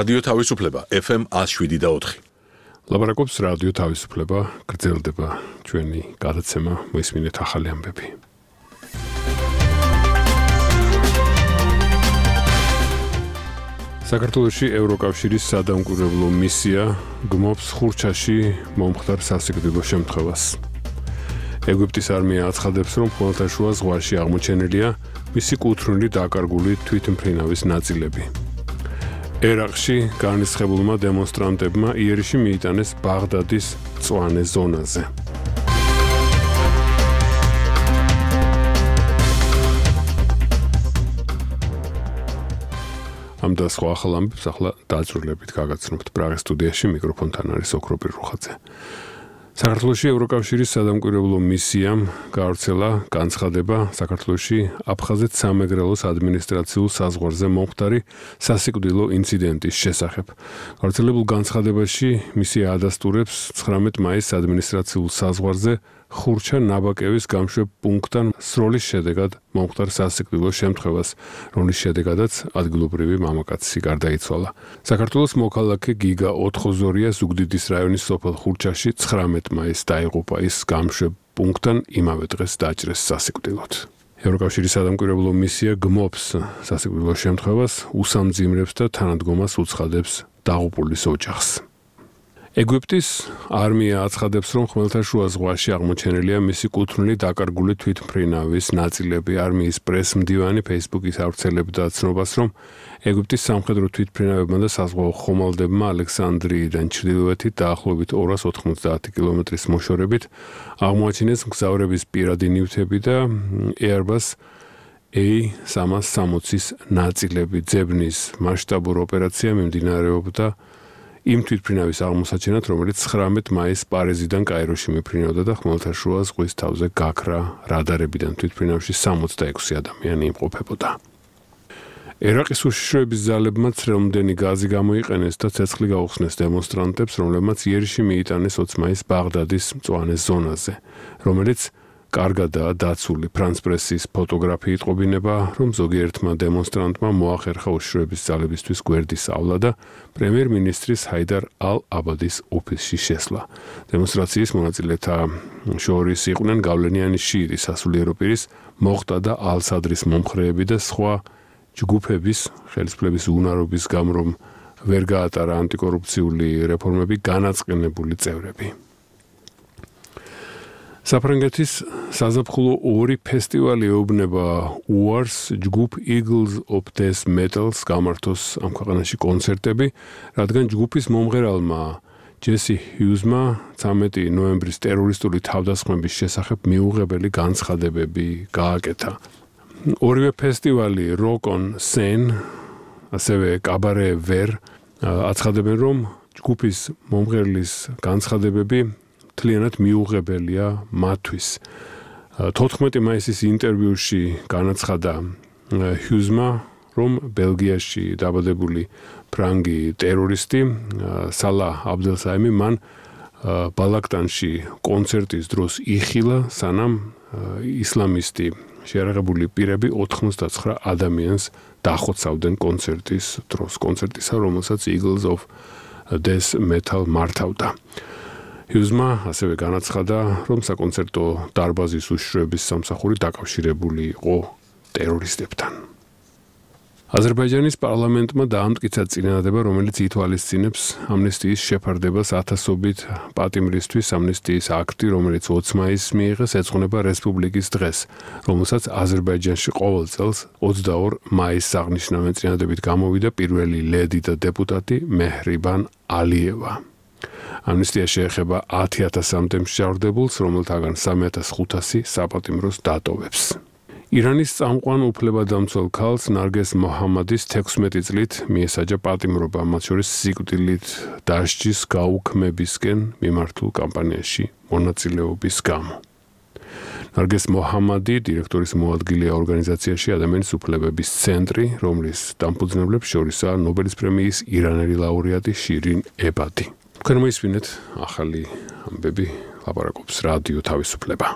რადიო თავისუფლება FM 107.4. ლაპარაკობს რადიო თავისუფლება, გრძელდება ჩვენი გადაცემა, მოისმინეთ ახალი ამბები. საქართველოში ევროკავშირის სადამკვირვებლო მისია გმობს ხურჩაში მომხდარ სასიკვდილო შემთხვევას. ეგვიპტის არმია აცხადებს, რომ ხმელთაშუა ზღვაში აღმოჩენილია მისი კუთვნილი დაკარგული თვითმფრინავის ნაწილები. ერაყში განრისხებულმა დემონსტრანტებმა იერიში მიიტანეს ბაღდადის მწვანე ზონაზე. ამ და სხვა ახალ ამბებს ახლა დაწვრილებით გაგაცნობთ პრაღის სტუდიაში, მიკროფონთან არის ოქროპირ რუხაძე. საქართველოში ევროკავშირის სადამკვირვებლო მისიამ გაავრცელა განცხადება საქართველოში აფხაზეთ სამეგრელოს ადმინისტრაციულ საზღვარზე მომხდარი სასიკვდილო ინციდენტის შესახებ. გავრცელებულ განცხადებაში მისია ადასტურებს 19 მაისს ადმინისტრაციულ საზღვარზე ხურჩა ნაბაკევის გამშვებ პუნქტთან სროლის შედეგად მომხდარ სასიკვდილო შემთხვევას, რომლის შედეგადაც ადგილობრივი მამაკაცი გარდაიცვალა. საქართველოს მოქალაქე გიგა ოთხოზორია ზუგდიდის რაიონის სოფელ ხურჩაში 19 მაისს დაიღუპა, ის გამშვებ პუნქტთან იმავე დღეს დაჭრეს სასიკვდილოდ. ევროკავშირის სადამკვირვებლო მისია გმობს სასიკვდილო შემთხვევას, უსამძიმრებს და თანადგომას უცხადებს დაღუპულის ოჯახს. ეგვიპტის არმია აცხადებს, რომ ხმელთაშუა ზღვაში აღმოჩენილია მისი კუთვნილი დაკარგული თვითმფრინავის ნაწილები. არმიის პრესმდივანი Facebook-ის ავრცელებდა ცნობას, რომ ეგვიპტის სამხედრო თვითმფრინავებმა და საზღვაო ხომალდებმა ალექსანდრიიდან ჩრდილოეთით დაახლოებით 290 კილომეტრის მოშორებით აღმოაჩინეს მგზავრების პირადი ნივთები და Airbus A360-ის ნაწილები. ძებნის მასშტაბური ოპერაცია მიმდინარეობდა იმ თვითმფრინავის აღმოსაჩენად, რომელიც 19 მაისს პარიზიდან კაიროში მიფრინავდა და ხმელთაშუა ზღვის თავზე გაქრა რადარებიდან თვითმფრინავში 66 ადამიანი იმყოფებოდა. ერაყის უშიშროების ძალებმა ცრემლმდენი გაზი გამოიყენეს და ცეცხლი გაუხსნეს დემონსტრანტებს, რომლებმაც იერიში მიიტანეს 20 მაისს ბაღდადის მწვანე ზონაზე, რომელიც კარგადაა დაცული. ფრანს პრესის ფოტოგრაფი იტყობინება, რომ ზოგიერთმა დემონსტრანტმა მოახერხა უშიშროების ძალებისთვის გვერდის ავლა და პრემიერ-მინისტრის ჰაიდარ ალ-აბადის ოფისში შესვლა. დემონსტრაციის მონაწილეთა შორის იყვნენ გავლენიანი შიიტი სასულიერო პირის მოხტა და ალ-სადრის მომხრეები და სხვა ჯგუფების ხელისუფლების უნარობის გამო, რომ ვერ გაატარა ანტიკორუფციული რეფორმები განაწყენებული წევრები. საფრანგეთის საზაფხულო 2 ფესტივალი ეუბნება უარს ჯგუფ Eagles of Death Metals გამართოს ამ ქვეყანაში კონცერტები, რადგან ჯგუფის მომღერალმა ჯესი ჰიუზმა 13 ნოემბრის ტერორისტული თავდასხმების შესახებ მიუღებელი განცხადებები გააკეთა. ორივე ფესტივალი Rock on Seine, ასევე კაბარე ვერ აცხადებენ, რომ ჯგუფის მომღერლის განცხადებები მთლიანად მიუღებელია მათთვის. 14 მაისის ინტერვიუში განაცხადა ჰიუზმა, რომ ბელგიაში დაბადებული ფრანგი ტერორისტი სალა აბდელსაიმი მან ბალაკტანში კონცერტის დროს იხილა, სანამ ისლამისტი შეიარაღებული პირები 89 ადამიანს დახოცავდნენ კონცერტის დროს, კონცერტისა, რომელსაც Eagles of Death Metal მართავდა. ჰიუზმა ასევე განაცხადა, რომ საკონცერტო დარბაზის უშიშროების სამსახური დაკავშირებული იყო ტერორისტებთან. აზერბაიჯანის პარლამენტმა დაამტკიცა წინადადება, რომელიც ითვალისწინებს ამნესტიის შეფარდებას ათასობით პატიმრისთვის. ამნესტიის აქტი, რომელიც 20 მაისს მიიღეს, ეძღვნება რესპუბლიკის დღეს, რომელსაც აზერბაიჯანში ყოველ წელს 22 მაისს აღნიშნავენ. წინადადებით გამოვიდა პირველი ლედი და დეპუტატი მეჰრიბან ალიევა. ამნესტია შეეხება 10,000-მდე მსჯავრდებულს, რომელთაგან 3,500 საპატიმროს დატოვებს. ირანის წამყვან უფლებადამცველ ქალს ნარგეს მოჰამადის 16 წლით მიესაჯა პატიმრობა, მათ შორის სიკვდილით დასჯის გაუქმებისკენ მიმართულ კამპანიაში მონაწილეობის გამო. ნარგეს მოჰამადი დირექტორის მოადგილეა ორგანიზაციაში ადამიანის უფლებების ცენტრი, რომლის დამფუძნებლებს შორისაა ნობელის პრემიის ირანელი ლაურეატი შირინ ებადი. თქვენ მოისმინეთ ახალი ამბები, ლაპარაკობს რადიო თავისუფლება.